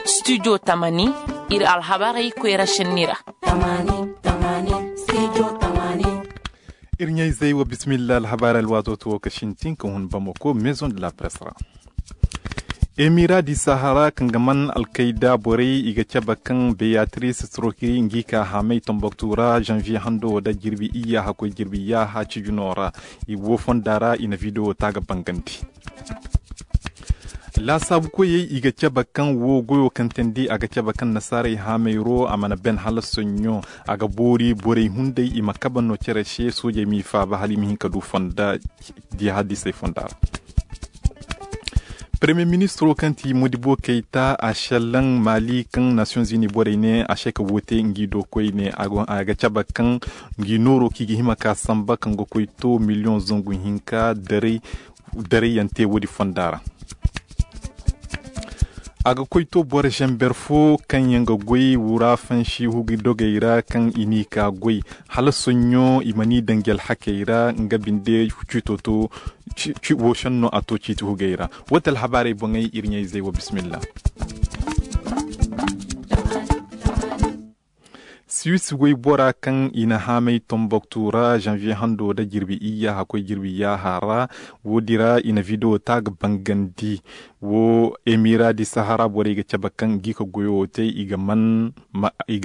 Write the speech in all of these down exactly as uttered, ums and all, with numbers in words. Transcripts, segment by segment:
Studio Tamani, iri alhabarey koyra senni ra. Iri ɲayzey wa bismillah, alhabaarey alwaato to wo ka sintin ka hun bamako maison de la presse ra. Emira di sahara kaŋ ga man alkayda borey i ga cabe kaŋ beyatrice strokiri ngi ka haamay tomboktu ra janvier hando da jirbi iyya hakkoy jirbi yaaha cijuno ra. I wo fonda ra i na video ta ga bangandi. Laasaabu koyey i ga cabe kaŋ wo goyo kaŋ teendi a ga cabe kaŋ nasaarey haamayro a mana ben hala soɲɲo. A ga boori borey hunday i ma kabe no cere se soojey m'i faaba hala i ma hin ka du fonda. Di hadisey fonda ra. Premier ministro kaŋ ti modibo kayta a sellan mali kaŋ nations unis borey ne a se ka woote ngi do koyne a ga cabe kaŋ ngi nooro kaŋ i ga hima ka samba kaŋ ga koy to million zangu hinka daray daray yaŋ te woodi fonda ra. A ga koy to boro zamber fo kaŋ yaŋ ga goy wura fansi hugu dogey ra kaŋ i n'i ka goy hala soɲɲo i ma n'i daŋ jel hakey ra nga binde ciito to. Wo senno a to ciiti hugey ra. Wo ti alhabaarey boŋey iri ɲayzey wo bismillah. Suisse waybora kaŋ i na haamay tomboktu ra janvier hando da jirbi iyya hakkoy jirbi yaaha ra. Woodi ra i na video ta ga bangandi. Wo emira di sahara borey ga cabe kaŋ gi ka goyo wo te i ga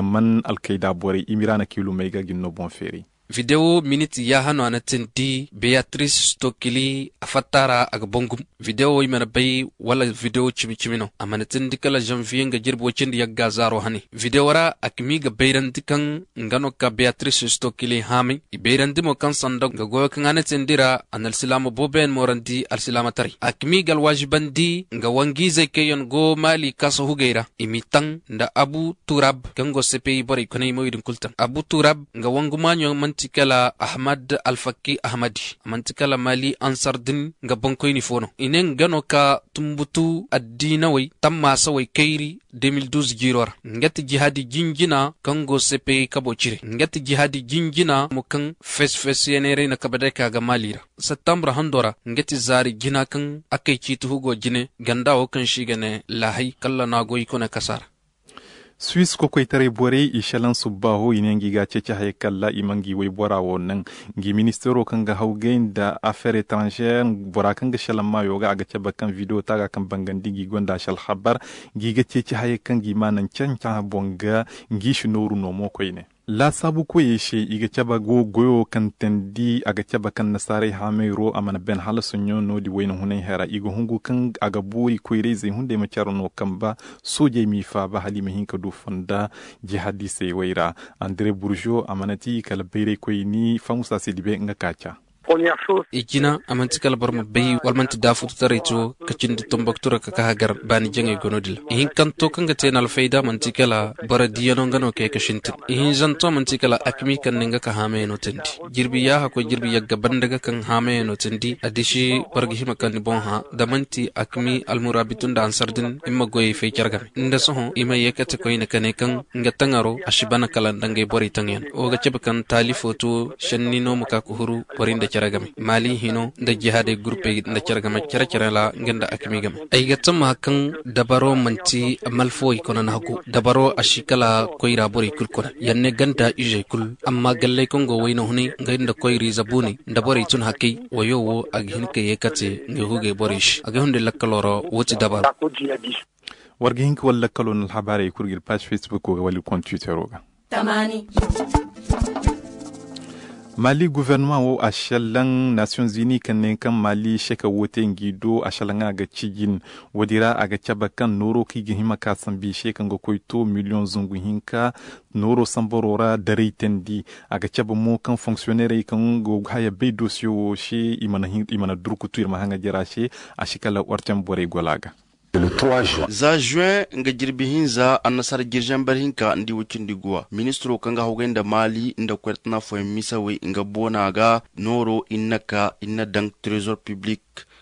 man alkayda borey emira na kiilumey ga ginno boŋ feeri. Video minit yaaha no a na tindi beyatrice stokili a fatta ra a ga bangum. Video i mana bay wala video cimi cimi no a mana tindi kala janvier nga jirbi wacindi yagga zaaro hane video ra a kami ga bayrandi kaŋ nga no ka beyatrice stokili haamay i bayrandi mo kaŋ sanda nga goyo kaŋ a na tindi ra a na alsilaama boobo yaŋ moorandi alsilaama taray a kami ga alwaazibandi nga wangiizey kaŋ yaŋ go maali kaasa hugey ra i m'i taŋ nda abu turab kaŋ go sepeyi borey konay mo i din kulu taŋ abu turab nga wangu maaɲo manti kala ahmad alfakki ahmadi manti kala mali ansar din nga boŋkoyni fo no i ne nga no ka tumbutu addiinawey tammaasawey kayri deux mille douze jiiro ra nga ti jihaadi jinjina kaŋ go sepeyi kabo cire nga ti jihaadi jinjina mo kaŋ fesfesiyaneerey na kabe day ka ga maali ra septambur hando ra nga ti zaari jina kaŋ a kay ciiti hugo jine ganda wo kaŋ se i ga ne laahay kala no a go i kone kasa ra. Suisse kokoytaray borey i selaŋ subbaaho i ne nga i ga a ceeci hayey kalla i ma nga i waybora wo naŋ. Nga i ministeero kaŋ ga hawgay nda affaire étrangère bora kaŋ ga selaŋ maayo ga a ga cabe kaŋ video taaga kaŋ bangandi nga i gonda se alhabar nga i ga ceeci hayey kaŋ ga i ma naŋ canca boŋ ga. Nga i si nooru no mo koyne. Laasaabu koyey se i ga cabe go goyo kaŋ teendi a ga cabe kaŋ nasaarey haamayro a mana ben hala soɲõ no- din wayna hunay hara i ga hungu kaŋ a ga boori koyrayzey hunday ma care no kamba. Soojey m'i faaba hala i ma hin ka du fonda. Jihadisey way ra. Andre burzo a mana ti kala bayraykoyni famusa se dibe nga ka ca. I jina a manti kala boro ma bay wala manti daafututaray to ka cindi tomboktu ra ka ka hagar baani jaŋey go no- din ra ihinkanto kaŋ ga te no alfayda manti kala boro diyano nga no kay ka sintin. Ihinzanto manti kala akmi kaŋ ne nga ka haamayaŋ no teendi. Jirbi yaaha koy jirbi yagga banda ga kaŋ haamayaŋ no teendi a disi boro ga hima kaŋ ni boŋ hã da manti akmi almuraabitu nda ansar din i ma goyey fay care game nda sohõ i ma ye kate koyne ka ne kaŋ nga taŋaro a si bana kala nda ngey borey taŋyaŋ wo ga cabe kaŋ taali fo to. Senni no ma ka ka huru borey nda care game maali hino nda jihaadey gurpey nda care game care care ra nga nda akmi game. Ay ga tammaha kaŋ dabaro manti malfawey kona no a go dabaro a si kala koyra borey kulu kona yaŋ ne ganda izey kulu amma galley kaŋ go wayna hunay ngey nda koyra ize buuney nda borey tun hakey wayo wo a ga hin ka ye kate ngey hugey borey se a ga hunday lakkalo ra. Wo ti dabaro. War ga hin ka wala lakkalo no alhabaarey kulu ga iri paazi facebook wo ga wala iri konda twittero ga. Mali gouvernement wo a sellaŋ nations unis kaŋ ne kaŋ mali seka wo te ngi do a sellaŋ a ga cijin. Wo- din ra a ga cabe kaŋ nooro kaŋ i ga hima ka sambu i se kaŋ ga koy to million zangu hinka. Nooro sambaro ra daray teendi a ga cabe mo kaŋ fonctionnairey kaŋ go ga haya bay dosiyo wo se i mana durkutu iri ma haŋa jara se. A si kala ortem borey gola ga. Za juin nga jirbi hinza annasara jirjambar hinka nda i wacindi guwa ministiro kaŋ ga hawgay nda maali nda koyratana fooyaŋ misawey nga boona ga nooro i na ka i na daŋ trésor public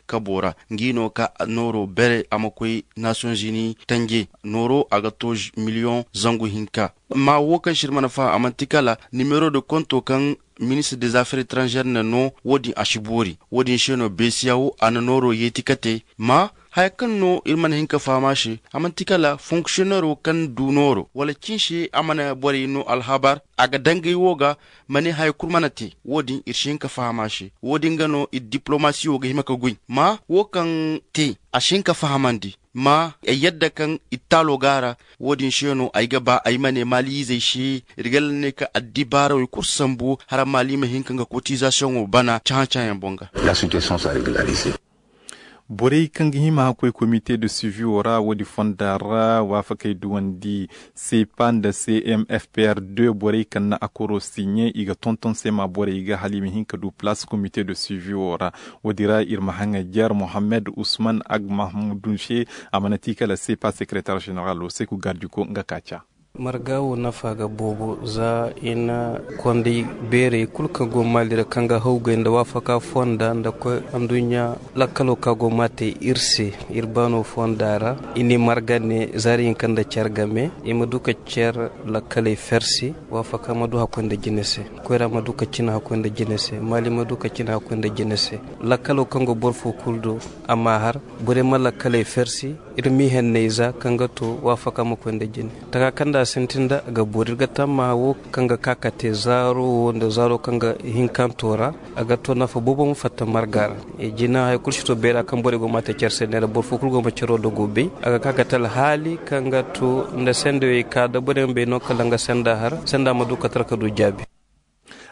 kabo ra. Ngi no ka nooro bere a ma koy nations unis tanje nooro a ga to miliyoŋ zangu hinka. Amma wo kaŋ se iri mana faham a manti kala nimero de konto kaŋ ministre des affaires étrangères na no wo- din a si boori. Wo- din se no beesiya wo a na nooro yeeti ka te ma haya kaŋ no iri mana hin ka faham a se. A manti kala fonksiyonero kaŋ du nooro wala cin se a mana borey no alhabar a ga dangay wo ga ma ne haya kulu mana te. Wo- din iri si hin ka faham a se. Wo- din ga no iri diplomasi wo ga hima ka goy ma wo kaŋ te a si hin ka fahamandi ma ay yadda kaŋ ittaalo go a ra. Wo- din se no ay ga ba ay ma ne maaliizey se iri ga lalle ne ka addibaarawey kulu sambu hala maali ma hin ka nga kotizasiyoŋo bana cahã-cahãyaŋ boŋ ga. Borey kaŋ ga hima ga koy komite de suivi wo ra wo- din fonda ra waafakey duwandi sepa nda cmfpr deux borey kaŋ na akoro siɲe i ga tonton se ma borey ga hala i ma hin ka du palace komite de suivi wo ra. Wo- din ra iri ma haŋajer mohammed usman ag mahmudun se a mana ti kala sepa sekretar ženeralo se ku gardiko nga ka ca. Marga wo nafa ga boobo za i na konday beerey kulu kaŋ go maali ra kaŋ ga hawgay nda waafaka fonda nda koy anduɲɲa lakkalo kaŋ a go ma a te iri se iri baano fonda ra. I n'i marga ne zaari hinka nda care game i ma du ka care lakkaley fersi waafaka ma du hakkoy nda jine se. Koyra ma du ka cina hakkoy nda jine se maali ma du ka cina hakkoy nda jine se. Lakkalo kaŋ go boro fo kulu do a ma a har borey ma lakkaley fersi. Iri m'i henney za kaŋ ga to waafaka ma koy nda jine taka kaŋ nda a sintin nda a ga boori iri ga tammaha wo kaŋ ga ka ka te zaaro wo nda zaaro kaŋ ga hinkanto ra. A ga to nafa boobo ma fatta marga ra. Jina hari kulu si to beera kaŋ borey go ma a te care se neera boro fo kulu go ma caro dogo bay a ga ka ka te alhaali kaŋ ga to nda sendey ka da borey ma bay no kala nga senda har senda ma du ka tara ka du jaabi.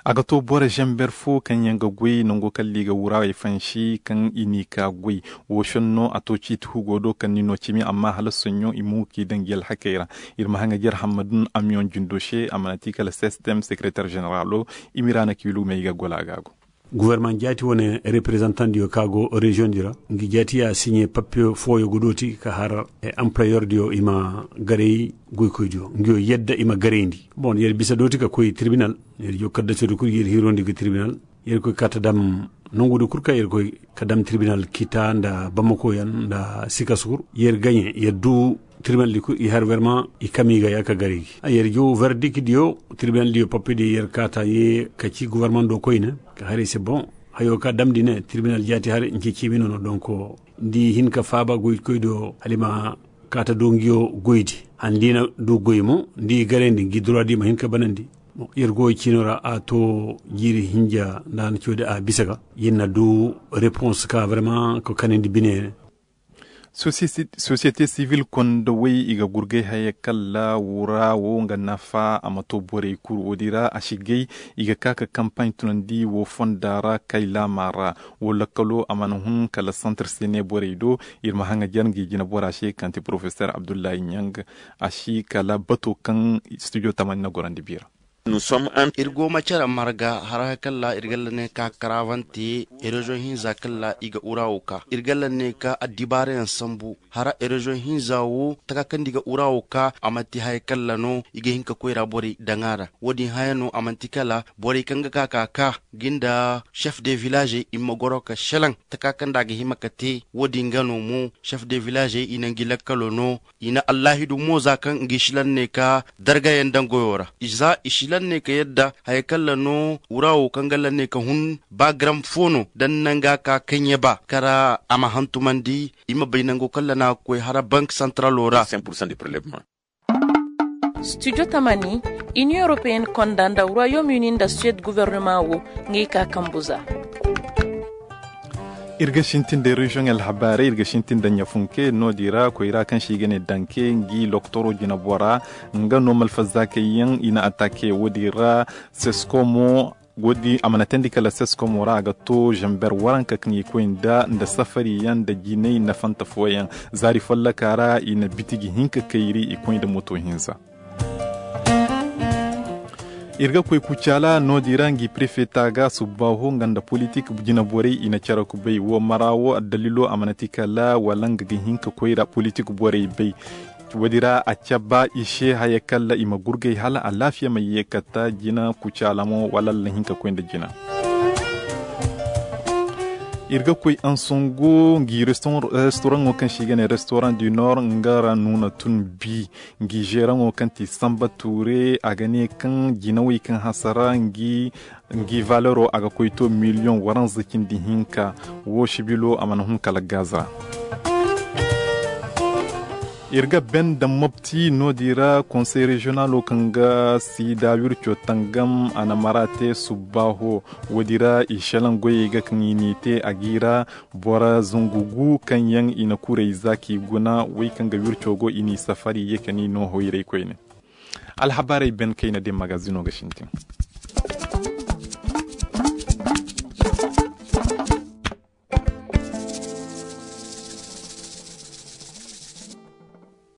A ga to boro zamber fo kaŋ yaŋ ga goy nango kaŋ liiga wurawey fansi kaŋ i n'i ka goy. Wo senno a to ciiti hugo do kaŋ ni no cimi amma hala soɲɲo i mo ga k'i daŋ gi alhakey ra. Iri ma haŋa jere hammadun amiyoŋ jindo se a mana ti kala sistem sekretar zeneralo. Imira na kiilu may ga gola ga go. Guverneman jaati wane reprezantandiyo kaŋ a go reziyoŋ di ra nga jaati ya siɲe papiyo fooyo ga dooti ka har amplayordiyo i ma garay goykoydiyo nga yo yadda i ma garayndi. Bon yer bisa dooti ka koy tirbinal. Yer jo kaddaso di kulu yer hirondi ga tirbinal. Yer koy ka ta dam nangu di kulu ka yer koy ka dam tirbinal kita nda bamako yaŋ nda sikasu kulu yer gaɲe yer du tirbinal di kulu i har werma i kami ga ya ka gari gi a yer jo verdik diyo. Tirbinal diyo papi di yer ka ta ye ka ci guverman do koyne ka hari se bon hayo ka dam di ne tirbinal jaati hari nce cimi no no donko ndi hin ka faaba goy koy do halima ka ta do ngiyo goy di. Handi na du goy mo ndi gare ndi ngi dura di ma hin ka banandi. Yer go ciino ra a to jiiri hinja nda a na coodi a bisa ga yer na du repons ka vraiment ka kanandi bine. Société civile konda way i ga gurgay haya kalla wura wo nga nafa a ma to borey kuru wo di ra a si gay i ga ka ka kampagne tunandi wo fonda ra kay laama ra. Wo lakkalo a mana hun kala centre sene borey do. Iri ma haŋa jar ngi jina bora se kaŋ ti professeur abdullahi ɲang. A si kala bato kaŋ studio tamani na gorandi bira. Iri go ma care marga hara kalla iri galla ne ka karavante. Erozion hinza kalla i ga ura wo ka iri galla ne ka addibaara yaŋ sambu hara erozion hinza wo taka kaŋ di ga ura wo ka a manti haya kalla no i ga hin ka koyra borey daŋ a ra. Wo- din haya no a manti kala borey kaŋ ga ka ka ka ginda chef de village i ma goro ka selaŋ taka kaŋ da a ga hima ka te wo- din ga no mo chef de village i na ngi lakkalo no. I na allahidu mo za kaŋ ngi si lanne ka dargayaŋ daŋ goyo ra za i si lanne ka yadda haya kaŋ la no wura wo kaŋ ga lanne ka hun ba garam fo no da ni naŋ ga ka kaŋ ye ba kara a ma hantumandi. I ma bay nango kaŋ la na ga koy hara bank santaralo ra. Studio tamani inion europeyenne konda nda royaume uni nda suede guvernema wo ngey ka kambu za. Iri ga sintin da reziyoŋ alhabaarey iri ga sintin da ɲafunke no- din ra koyra kaŋ se i ga ne danke ngi loktoro jinabora nga no malfazakey yaŋ i na atake wo- din ra. Seskomo wo- din a mana teendi kala seskomo ra a ga to zamber waranka kaŋ i koy nda nda safari yaŋ nda jinay nafanta fooyaŋ. Zaari follaka ra i na bitiji hinka kayri i koy nda moto hinza. Iri ga koy kucaala no- din ra ngi prefeta ga subbaaho nga nda politik jina borey i na care ku bay wo mara wo addalilo a mana ti kala wala nga ga hin ka koy ra politik borey bay. Wo- din ra a cabba i se haya kala i ma gurgay hala alaafiya ma ye kata jina kucaala mo wala alla hin ka koy nda jina. Iri ga koy ansango ngi restoraŋo kaŋ se i ga ne restaurant du nord nga ra nuuna tun bi. Ngi zeeraŋo kaŋ ti samba tuure a ga ne kaŋ jinawey kaŋ hasara ngi valero a ga koy to miliyoŋ waranza cindi hinka. Wo sibilo a mana hun kala gaza. Iri ga ben da mopti no- din ra konsey reziyonalo kaŋ ga siida wirco tangam a na mara te subbaaho. Wo- din ra i selaŋ goyey ga kaŋ i n'i te a g'i ra boro zangu gu kaŋ yaŋ i na kurey za k'i guna wey kaŋ ga wirco go i n'i safari ye ka ni no hoyray koyne. Alhabarey ben kayna din magazino ga sintin.